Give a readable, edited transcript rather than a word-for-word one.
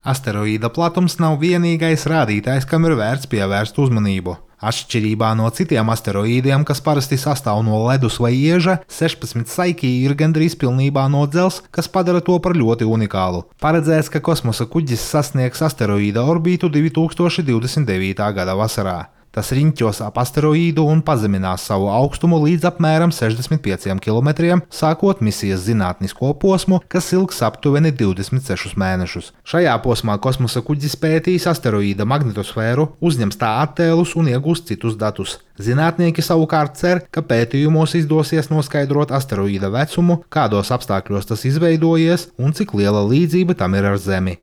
Asteroīda platums nav vienīgais rādītājs, kam ir vērts pievērst uzmanību. Atšķirībā no citiem asteroīdiem, kas parasti sastāv no ledus vai ieža, 16 Saiki ir gandrīz pilnībā no dzelzs, kas padara to par ļoti unikālu. Paredzēts, ka kosmosa kuģis sasniegs asteroīda orbītu 2029. gada vasarā. Tas riņķos ap asteroīdu un pazeminās savu augstumu līdz apmēram 65 km, sākot misijas zinātnisko posmu, kas ilgs aptuveni 26 mēnešus. Šajā posmā kosmosa kuģis pētīs asteroīda magnetosfēru, uzņems tā attēlus un iegūs citus datus. Zinātnieki savukārt cer, ka pētījumos izdosies noskaidrot asteroīda vecumu, kādos apstākļos tas izveidojies un cik liela līdzība tam ir ar Zemi.